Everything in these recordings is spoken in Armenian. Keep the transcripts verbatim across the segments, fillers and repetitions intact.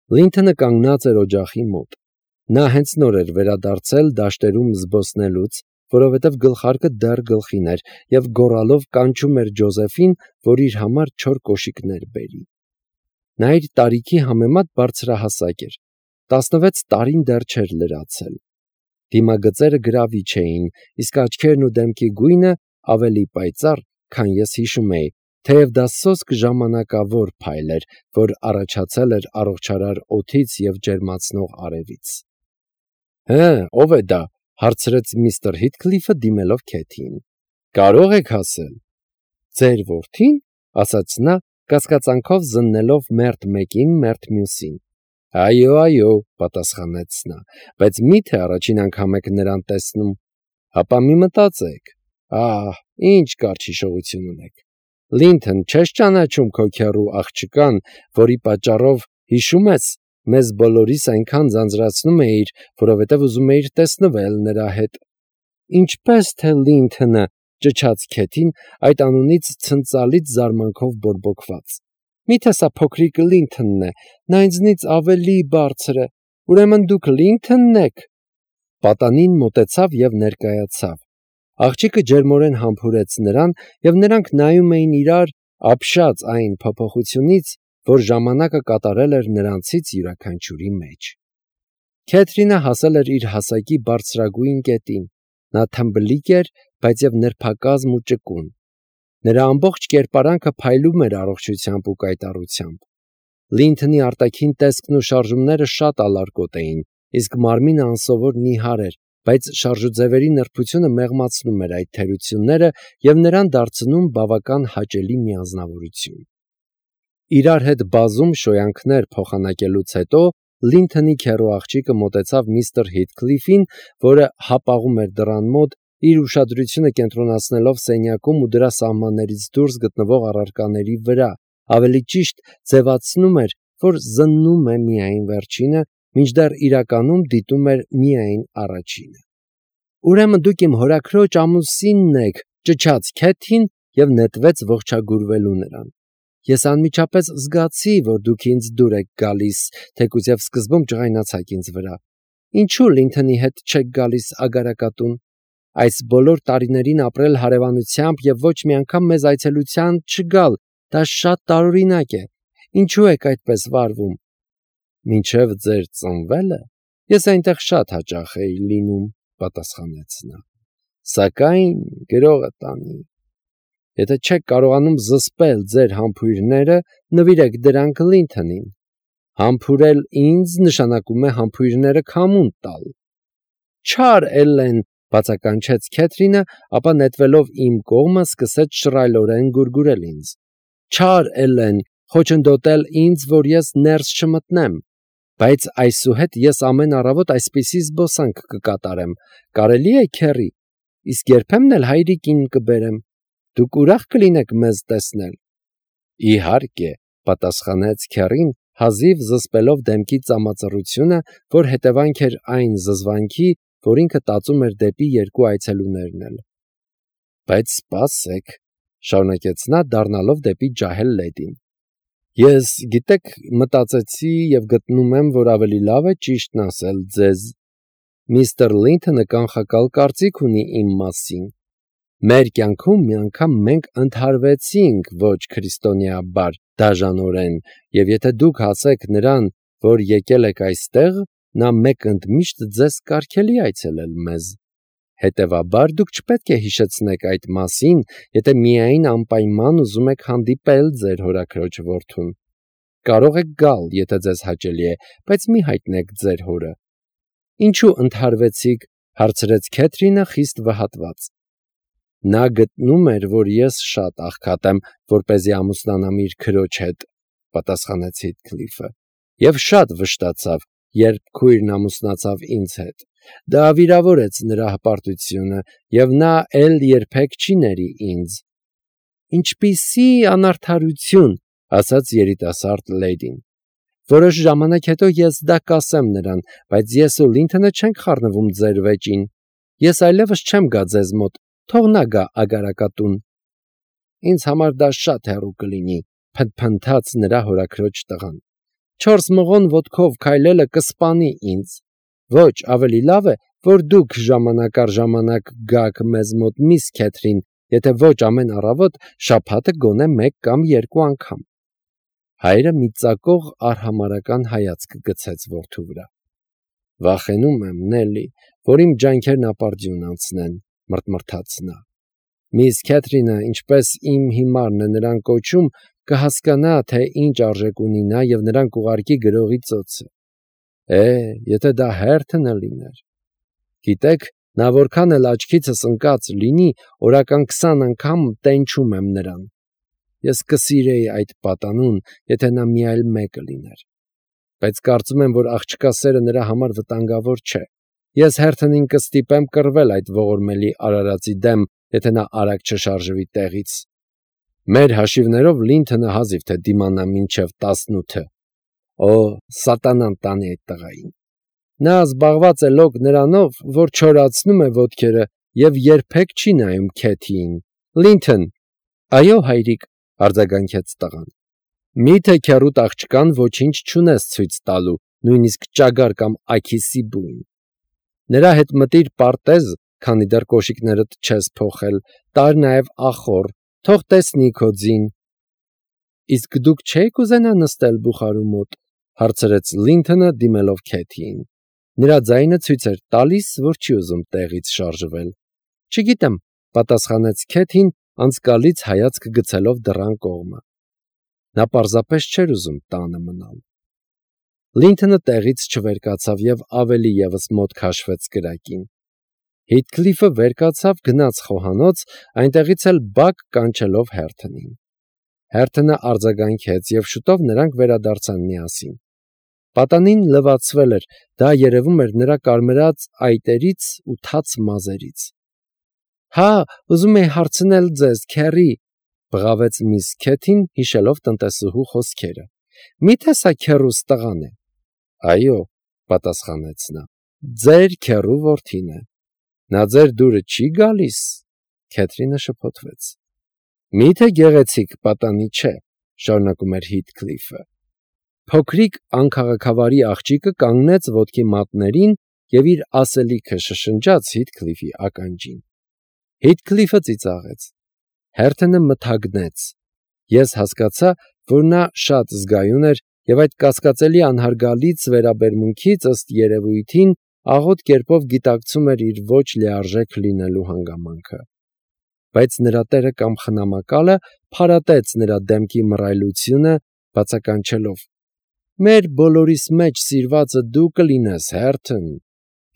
Լինթոնը կանգնած էր օջախի մոտ։ Նա հենց նոր էր վերադարձել դաշտերում զբոսնելուց, որովհետև գլխարկը դեռ գլխին էր, և գոռալով կանչում էր Ջոզեֆին, որ իր համար չոր կոշիկներ բերի։ Նա իր տարիքի համեմատ բարձրահասակ էր, տասնվեց տարին դեռ չէր լրացել։ Դիմագծերը գրավիչ էին, իսկ աչքերն ու դեմքի գույնը ավելի պայծառ, քան ես հիշում էի, թեև դա սոսկ ժամանակավոր փայլ էր, որ առաջացել էր առողջարար օդից և ջերմացնող արևից։ «Հը, ո՞վ է դա», հարցրեց միստր Հիթքլիֆը, դիմելով Քեթիին։ «Կարո՞ղ եք ասել»։ «Ձեր որդի՞ն», ասաց նա, կասկածանքով զննելով մերթ մեկին, մերթ մյուսին։ «Այո, այո», պատասխանեց նա, «բայց մի՞թե առաջին անգամ եք նրան տեսնում։ Հապա մի մտածեք. ահ, ինչ կարճ հիշողություն ունեք։ Լինթոն, չե՞ս ճանաչում քո քեռու աղջկան, որի պատճառով, հիշում ես, մեզ բոլորիս այնքան ձանձրացնում էիր, որովհետև ուզում էիր տեսնվել նրա հետ»։ «Ինչպես թե Լինթոնը», ճչաց Քեթին, այդ անունից ցնծալից զարմանքով բորբոքված։ «Մի՞թե սա փոքրիկ Լինթոնն է, նա ինձնից ավելի բարձր է, ուրեմն դուք Լինթոնն եք»։ Պատանին մոտեցավ և ներկայացավ։ Աղջիկը ջերմորեն համբուրեց նրան, և նրանք նայում էին իրար, ապշած այն փոփոխությունից, որ ժամանակը կատարել էր նրանցից յուրաքանչյուրի մեջ։ Քեթրինը հասել էր իր հասակի բարձրագույն կետին։ Նա թմբլիկ էր, բայց և նրբակազմ ու ճկուն։ Նրա ամբողջ կերպարանքը փայլում էր առողջությամբ ու կայտառությամբ։ Լինթոնի արտաքին տեսքն ու շարժումները շատ ալարկոտ էին, իսկ մարմինը անսովոր նիհար էր, բայց շարժուձևերի նրբությունը մեղմացնում էր այդ թերությունները և նրան դարձնում բավական հաճելի միանձնավորություն։ Իրար հետ բազում շոյանքներ փոխանակելուց հետո Լինթոնի քեռու աղջիկը մոտեցավ միստր Հիթքլիֆին, որը հապաղում էր դռան մոտ, իր ուշադրությունը կենտրոնացնելով սենյակում ու դրա սահմաններից դուրս գտնվող առարկաների վրա, ավելի ճիշտ ձևացնում էր, որ զննում է միայն վերջինը, մինչդեռ իրականում դիտում էր միայն առաջինը։ «Ուրեմն դուք իմ հորաքրոջ ամուսինն եք», ճչաց Քեթին և նետվեց ողջագուրվելու նրան։ «Ես անմիջապես զգացի, որ դուք ինձ դուր եք գալիս, թեկուզ և սկզբում ջղայնացաք ինձ վրա։ Ինչու Լինթոնի հետ չեք գալիս Ագարակատուն։ Այս բոլոր տարիներին ապրել հարևանությամբ և ոչ մի անգամ մեզ այցելության չգալ, դա շատ տարօրինակ է։ Ինչու եք այդպես վարվում»։ «Մինչև ձեր ծնվելը ես այնտեղ շատ հաճախ էի լինում», պատասխանեց նա։ «Սակայն գրողը տանի։ Եթե չեք կարողանում զսպել ձեր համբույրները, նվիրեք դրանք Լինթոնին։ Համբուրել ինձ նշանակում է համբույրները քամուն տալ»։ «Չար Էլլեն», բացականչեց Քեթրինը, ապա նետվելով իմ կողմը սկսեց շռայլորեն գուրգուրել ինձ։ «Չար Էլլեն, խոչընդոտել ինձ, որ ես ներս չմտնեմ։ Բայց այսուհետ ես ամեն առավոտ այսպիսի զբոսանք կկատարեմ, կարելի է քեռի, իսկ երբեմն էլ հայրիկին կբերեմ։ Դուք ուրախ կլինեք մեզ տեսնել։ «Իհարկե», պատասխանեց քեռին, հազիվ զսպելով դեմքի ծամածռությունը, որ հետևանք էր այն զզվանքի, որ ինքը տածում էր դեպի երկու այցելուներն էլ։ «Բայց սպասեք», շարունակեց նա, դառնալով դեպի ջահել լեդին։ «Ես, գիտեք, մտածեցի և գտնում եմ, որ ավելի լավ է ճիշտն ասել ձեզ։ Միստր Լինթոնը կանխակալ կարծիք ունի իմ մասին։ Մեր կյանքում մի անգամ մենք ընդհարվեցինք ոչ քրիստոնեաբար, դաժանորեն, և եթե դուք ասեք նրան, որ եկել եք այստեղ, նա մեկ ընդմիշտ ձեզ կարգելի այցելել մեզ։ Հետևաբար դուք չպետք է հիշեցնեք այդ մասին, եթե միայն անպայման ուզում եք հանդիպել ձեր հորաքրոջ որդուն։ Կարող եք գալ, եթե ձեզ հաճելի է, բայց մի հայտնեք ձեր հորը»։ «Ինչու ընդհարվեցիք», հարցրեց Քեթրինը խիստ վհատված։ «Նա գտնում էր, որ ես շատ աղքատ եմ, որպեսզի ամուսնանամ իր քրոջ հետ», պատասխանեց Հիթքլիֆը, «և շատ վշտացավ, երբ քույրն ամուսնացավ ինձ հետ։ Դա վիրավորեց նրա հպարտությունը, և նա էլ երբեք չի ների ինձ»։ «Ինչպիսի անարդարություն», ասաց երիտասարդ լեդին։ «Որոշ ժամանակ հետո ես դա կասեմ նրան, բայց ես ու Լինթոնը չենք խառնվում ձեր վեճին։ Ես այլևս չեմ գա ձեզ մոտ, թող նա գա Ագարակատուն»։ «Ինձ համար դա շատ հեռու կլինի», փնթփնթաց նրա հորաքրոջ տղան։ չորս մղոն ոտքով քայլելը կսպանի ինձ։ Ոչ, ավելի լավ է, որ դուք ժամանակ առ ժամանակ գաք մեզ մոտ, միս Քեթրին, եթե ոչ ամեն առավոտ, շաբաթը գոնե մեկ կամ երկու անգամ։ Հայրը մի ծակող արհամարհական հայացք գցեց որդու վրա։ Վախենում եմ, Նելի, որ իմ ջանքերն ապարդյուն անցնեն, մռթմռթաց նա։ Միս Քեթրինը, ինչպես իմ հիմարն է նրան կոչում, կհասկանա, թե ինչ արժեք ունի նա և նրան կուղարկի գրողի ծոցը։ Է, եթե դա հերթը լիներ։ Գիտեք, նա որքան էլ աչքիցս ընկած լինի, օրական քսան անգամ տենչում եմ նրան։ Ես կսիրեի այդ պատանուն, եթե նա մի այլ մեկը լիներ։ Բայց կարծում եմ, որ աղջկա սերը նրա համար վտանգավոր չէ։ Ես հերթնին կստիպեմ կռվել այդ ողորմելի արարածի դեմ, եթե նա արագ չշարժվի տեղից։ Մեր հաշիվներով Լինթոնը հազիվ թե դիմանա մինչև տասնութը։ Օ, սատանան տանի այդ տղային։ Նա զբաղված է լոկ նրանով, որ չորացնում է ոտքերը և երբեք չի նայում Քեթիին։ Լինթոն։ Այո, հայրիկ, արձագանքեց տղան։ Մի՞թե քեռուդ աղջկան ոչինչ չունես ցույց տալու, նույնիսկ ճագար կամ աքիսի բույն։ Նրա հետ մտիր պարտեզ, քանի դեռ կոշիկներդ չես փոխել, տար նաև ախոռ, թող տեսնի քո ձին։ Իսկ դուք չէ՞ք ուզենա նստել բուխարու մոտ, հարցրեց Լինթոնը, դիմելով Քեթիին։ Նրա ձայնը ցույց էր տալիս, որ չի ուզում տեղից շարժվել։ Չգիտեմ, պատասխանեց Քեթին, անցկալից հայացք գցելով դռան կողմը։ Նա պարզապես չէր ուզում տանը մնալ։ Լինթոնը տեղից չվեր կացավ և ավելի ևս մոտ քաշվեց կրակին։ Հիթքլիֆը վեր կացավ, գնաց խոհանոց, այնտեղից էլ բակ կանչելով Հերթոնին։ Հերթոնը արձագանքեց, և շուտով նրանք վերադարձան միասին։ Պատանին լվացվել էր, դա երևում էր նրա կարմրած այտերից ու թաց մազերից։ Հա, ուզում էի հարցնել ձեզ, քեռի, բղավեց միս Քեթին, հիշելով տնտեսուհու խոսքերը։ Մի՞թե սա քեռուս տղան է։ Այո, պատասխանեց նա, ձեր քեռու որդին է։ Նա ձեր դուրը չի գալիս։ Քեթրինը շփոթվեց։ Մի՞թե գեղեցիկ պատանի չէ, շարունակում էր Հիթքլիֆը։ Փոքրիկ անքաղաքավարի աղջիկը կանգնեց ոտքի մատներին և իր ասելիքը շշնջաց Հիթքլիֆի ականջին։ Հիթքլիֆը ծիծաղեց։ Հերթոնը մթագնեց։ Ես հասկացա, որ նա շատ զգայուն էր և այդ կասկածելի անհարգալից վերաբերմունքից ըստ երևույթին աղոտ կերպով գիտակցում էր իր ոչ լիարժեք լինելու հանգամանքը։ Բայց նրա տերը կամ խնամակալը փարատեց նրա դեմքի մռայլությունը, բացականչելով. Մեր բոլորիս մեջ սիրվածը դու կլինես, Հերթոն։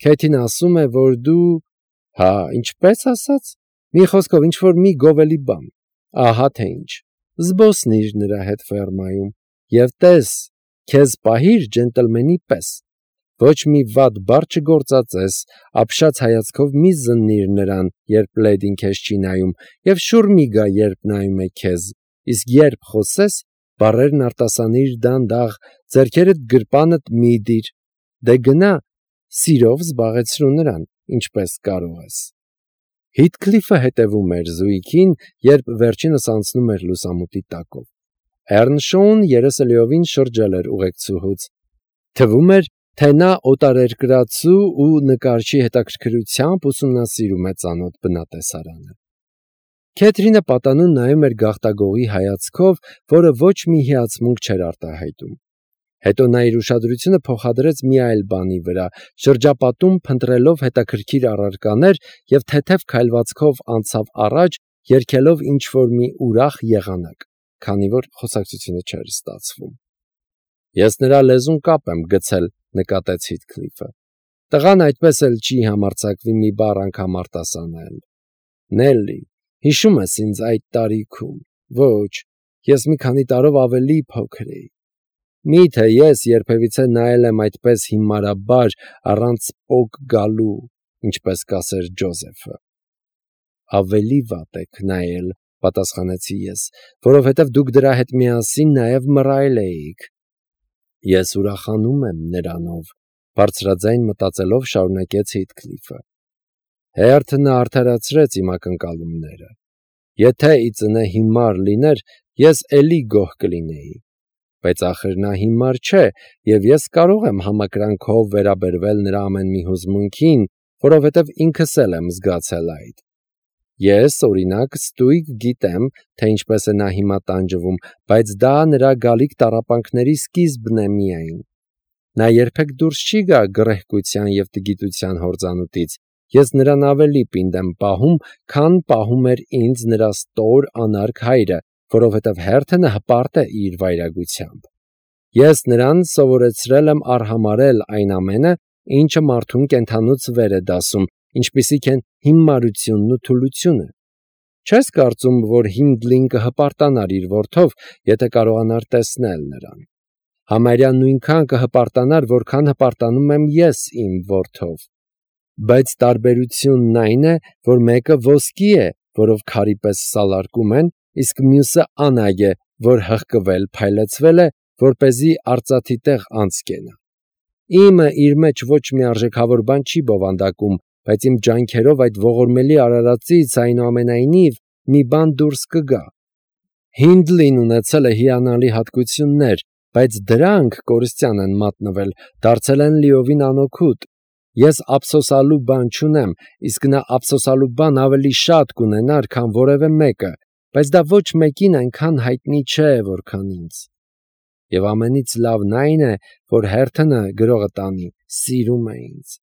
Քեթին ասում է, որ դու… Հա, ինչպես ասաց։ Մի խոսքով, ինչ-որ մի գովելի բան։ Ահա թե ինչ։ Զբոսնիր նրա հետ ֆերմայում և տես, քեզ պահիր ջենտլմենի պես։ Ոչ մի վատ բառ չգործածես, ապշած հայացքով մի զննիր նրան, երբ լեդին քեզ չի նայում, և շուռ մի գա, երբ նայում է քեզ, իսկ երբ խոսես, բառերն արտասանիր դանդաղ, ձեռքերդ գրպանդ մի դիր, դե գնա, սիրով զբաղեցրու նրան, ինչպես կարող ես։ Հիթքլիֆը հետևում էր զույգին, երբ վերջինս անցնում էր լուսամուտի տակով։ Էռնշոուն երեսը լիովին շրջել էր ուղեկցուհուց։ Թվում էր, թե նա օտարերկրացու ու նկարչի հետաքրքրությամբ ուսումնասիրում է ծանոթ բնատեսարանը։ Քեթրինը պատանուն նայում էր գաղտագողի հայացքով, որը ոչ մի հիացմունք չէր արտահայտում։ Հետո նա իր ուշադրությունը փոխադրեց մի այլ բանի վրա, շրջապատում փնտրելով հետաքրքիր առարկաներ և թեթև քայլվածքով անցավ առաջ, երգելով ինչ-որ մի ուրախ եղանակ, քանի որ խոսակցությունը չէր ստացվում։ Ես նրա լեզուն կապ եմ գցել, նկատեց Հիթքլիֆը։ Տղան այդպես էլ չի համարձակվի մի բառ անգամ արտասանել։ Նելի, հիշում ես ինձ այդ տարիքում։ Ոչ, ես մի քանի տարով ավելի փոքր էի։ Մի՞թե ես երբևիցե նայել եմ այդպես հիմարաբար, առանց պոկ գալու, ինչպես կասեր Ջոզեֆը։ Ավելի վատ եք նայել, պատասխանեցի ես, որովհետև դուք դրա հետ միասին նաև մռայլ էիք։ Ես ուրախանում եմ նրանով, բարձրաձայն մտածելով շարունակեց Հիթքլիֆը։ Հերթոնը արդարացրեց իմ ակնկալումները։ Եթե ի ծնե հիմար լիներ, ես էլի գոհ կլինեի։ բայց ախր նա հիմար չէ, եւ ես կարող եմ համակրանքով վերաբերվել նրա ամեն մի հուզմունքին, որովհետև ինքս էլ եմ զգացել այդ։ Ես, օրինակ, ստույգ գիտեմ, թե ինչպես է նա հիմա տանջվում, բայց դա նրա գալիք տառապանքների սկիզբն է միայն։ Նա երբեք դուրս չի գա գռեհկության եւ տգիտության հորձանուտից։ Ես նրան ավելի պինդ եմ պահում, քան պահում էր ինձ նրա ստոր անարգ հայրը, որովհետև Հերթենը հպարտ է իր վայրագությամբ։ Ես նրան սովորեցրել եմ արհամարհել այն ամենը, ինչը մարդուն կենդանուց վեր է դասում, ինչպիսիք են հիմարությունն ու թուլությունը։ Չես կարծում, որ Հինդլին կհպարտանար իր որդով, եթե կարողանար տեսնել նրան։ Համարյա նույնքան կհպարտանար, որքան հպարտանում եմ ես իմ որդով։ Բայց տարբերությունն այն է, որ մեկը ոսկի է, որով քարի պես սալարկում են, իսկ մյուսը անագ է, որ հղկվել, փայլեցվել է, որպեսզի արծաթի տեղ անցկենա։ Իմը իր մեջ ոչ մի արժեքավոր բան չի բովանդակում, բայց իմ ջանքերով այդ ողորմելի արարածից այնուամենայնիվ մի բան դուրս կգա։ Հինդլին ունեցել է հիանալի հատկություններ, բայց դրանք կորստյան են մատնվել, դարձել են լիովին անօգուտ։ Ես ափսոսալու բան չունեմ, իսկ նա ափսոսալու բան ավելի շատ կունենար, քան որևէ մեկը, բայց դա ոչ մեկին այնքան հայտնի չէ, որքան ինձ։ Եվ ամենից լավն այն է, որ Հերթենը գրողը տանի, սիրում է ինձ։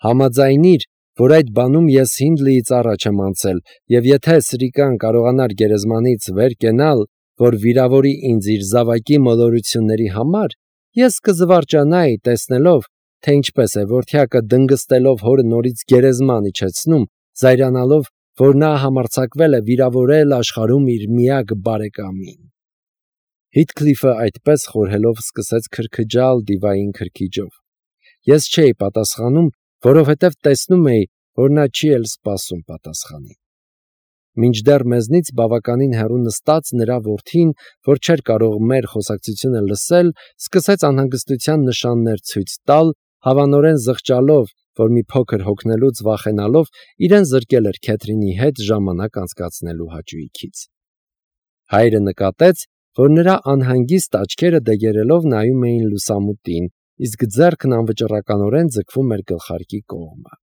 Համաձայնիր, որ այդ բանում ես Հինդլիից առաջ եմ անցել, եւ եթե Սրիկան կարողանար գերեզմանից վեր կենալ, որ վիրավորի ինձ իր զավակի մոլորությունների համար, ես կզվարճանայի տեսնելով, թե ինչպես է որդյակը դնգստելով հորը նորից գերեզման իջեցնում, զայրանալով, որ նա համարձակվել է վիրավորել աշխարհում իր միակ բարեկամին։ Հիթքլիֆը այդպես խորհելով սկսեց քրքջալ դիվային քրքիջով։ Ես չէի պատասխանում, որովհետև տեսնում էի, որ նա չի էլ սպասում պատասխանի։ Մինչդեռ մեզնից բավականին հեռու նստած նրա որդին, որ չէր կարող մեր խոսակցությունը լսել, սկսեց անհանգստության նշաններ ցույց տալ, հավանորեն զղջալով, որ մի փոքր հոգնելուց վախենալով, իրեն զրկել էր Քեթրինի հետ ժամանակ անցկացնելու հաճույքից։ Հայրը նկատեց, որ նրա անհանգիստ աչքերը դեգերելով նայում էին լուսամուտին, իսկ ձեռքն անվճռականորեն ձգվում էր գլխարկի կողմը։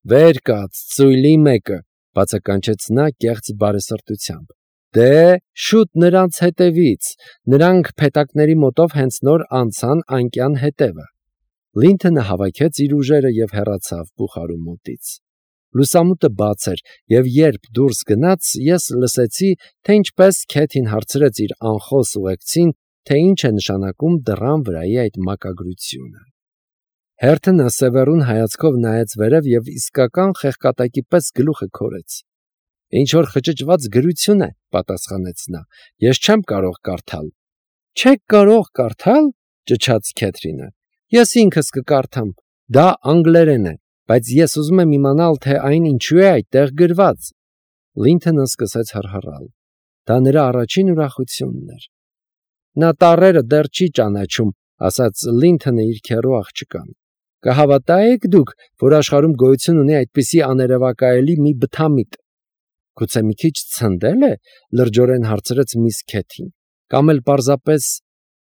«Վեր կաց, ծույլի մեկը», բացականչեց նա կեղծ բարեսրտությամբ։ «Դե, շուտ նրանց հետևից, նրանք փետակների մոտով հենց նոր անցան անկյան հետևը»։ Լինթոնը հավաքեց իր ուժերը եւ հեռացավ բուխարու մոտից։ Լուսամուտը բաց էր, եւ երբ դուրս գնաց, ես լսեցի, թե ինչպես Քեթին հարցրեց իր անխոս ուղեկցին, թե ինչ է նշանակում դռան վրայի այդ մակագրությունը։ Հերթենը սևեռուն հայացքով նայեց վերև եւ իսկական խեղկատակի պես գլուխը քորեց։ «Ինչ որ խճճված գրություն է», պատասխանեց նա։ «Ես չեմ կարող կարդալ»։ «Չեք կարող կարդալ», ճչաց Քեթրինը։ «Ես ինքս կկարդամ։ Դա անգլերեն է, բայց ես ուզում եմ իմանալ, թե այն ինչու է այդտեղ գրված»։ Լինթոնը սկսեց հռհռալ։ Դա նրա առաջին ուրախությունն էր։ «Նա տառերը դեռ չի ճանաչում», ասաց Լինթոնը իր քեռու աղջկան։ «Կհավատա՞եք դուք, որ աշխարհում գոյություն ունի այդպիսի աներևակայելի մի բթամիտ»։ «Գուցե մի քիչ ցնդել է», լրջորեն հարցրեց միս Քեթին։ «Կամ էլ պարզապես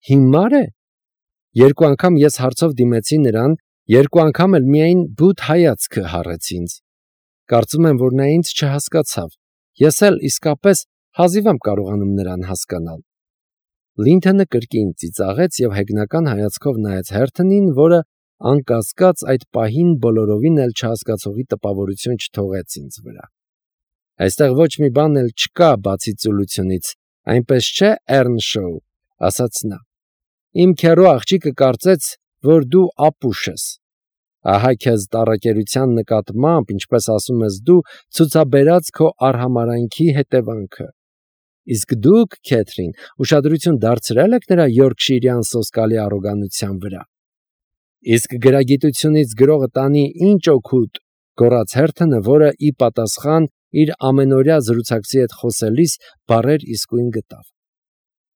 հիմար է»։ Երկու անգամ ես հարցով դիմեցի նրան, երկու անգամ էլ միայն բութ հայացքը հառեց ինձ։ Կարծում եմ, որ նա ինձ չհասկացավ։ Ես էլ իսկապես հազիվ եմ կարողանում նրան հասկանալ։ Լինթոնը կրկին ծիծաղեց եւ հեգնական հայացքով նայեց Հերթենին, որը անկասկած այդ պահին բոլորովին էլ չհասկացողի տպավորություն չթողեց ինձ վրա։ «Այստեղ ոչ մի բան էլ չկա բացի ծուլությունից, այնպես չէ, Էռնշոու», ասաց նա։ «Իմ քեռու աղջիկը կարծեց, որ դու ապուշ ես։ Ահա քեզ տառակերության նկատմամբ, ինչպես ասում ես դու, ցուցաբերած քո արհամարհանքի հետևանքը։ Իսկ դուք, Քեթրին, ուշադրություն դարձրել եք նրա յորքշիրյան սոսկալի առոգանության վրա»։ «Իսկ գրագիտությունից գրողը տանի ինչ օգուտ», գոռաց Հերթենը, որը ի պատասխան իր ամենօրյա զրուցակցի հետ խոսելիս բառեր իսկույն գտավ։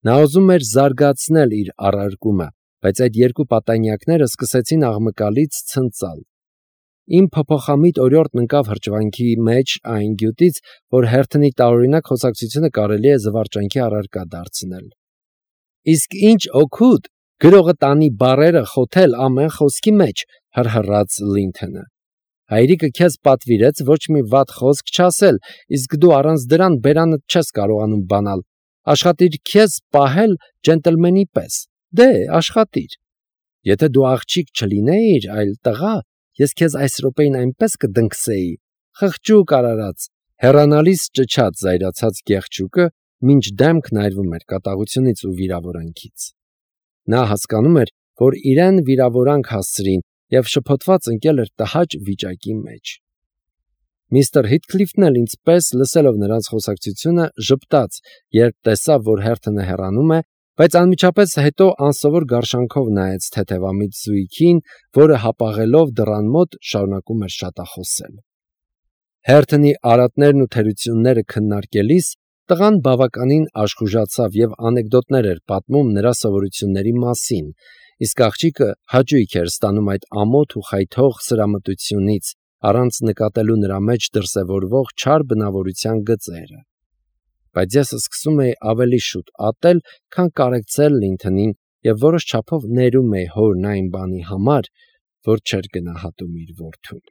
Նա ուզում էր զարգացնել իր առարկումը, բայց այդ երկու պատանյակները սկսեցին աղմկալից ցնծալ։ Իմ փոփոխամիտ օրիորդն ընկավ հրճվանքի մեջ այն գյուտից, որ Հերթենի տարօրինակ խոսակցությունը կարելի է զվարճանքի առարկա դարձնել։ Իսկ ինչ օգուտ, գրողը տանի բառերը խոթել ամեն խոսքի մեջ, հրհրաց Լինթոնը։ Հայրիկը քեզ պատվիրեց ոչ մի վատ խոսք չասել, իսկ դու առանց դրան բերանդ չես կարողանում բանալ։ Աշխատիր քեզ պահել ջենտլմենի պես։ Դե, աշխատիր։ Եթե դու աղջիկ չլինեիր, այլ տղա, ես քեզ այս րոպեին այնպես կդնքսեի, խղճուկ արարած, հեռանալիս ճչաց զայրացած գեղջուկը, մինչ դեմքն այրվում էր կատաղությունից ու վիրավորանքից։ Նա հասկանում էր, որ իրեն վիրավորանք հասցրին և շփոթված ընկել էր տհաճ վիճակի մեջ։ Միստր Հիթքլիֆն էլ ինձ պես, լսելով նրանց խոսակցությունը, ժպտաց, երբ տեսավ, որ Հերթոնը հեռանում է, բայց անմիջապես հետո անսովոր գարշանքով նայեց թեթևամիտ զույգին, որը հապաղելով դռան մոտ շարունակում էր շատախոսել։ Հերթոնի արատներն ու թերությունները քննարկելիս տղան բավականին աշխուժացավ և անեկդոտներ էր պատմում նրա սովորությունների մասին, իսկ աղջիկը հաճույք էր ստանում այդ ամոթ ու խայթող սրամտությունից, առանց նկատելու նրա մեջ դրսևորվող չար բնավորության գծերը։ Բայց ես սկսում էի ավելի շուտ ատել, քան կարեկցել Լինթոնին և որոշ չափով ներում էի հորն այն բանի համար, որ չէր գնահատում իր որդուն։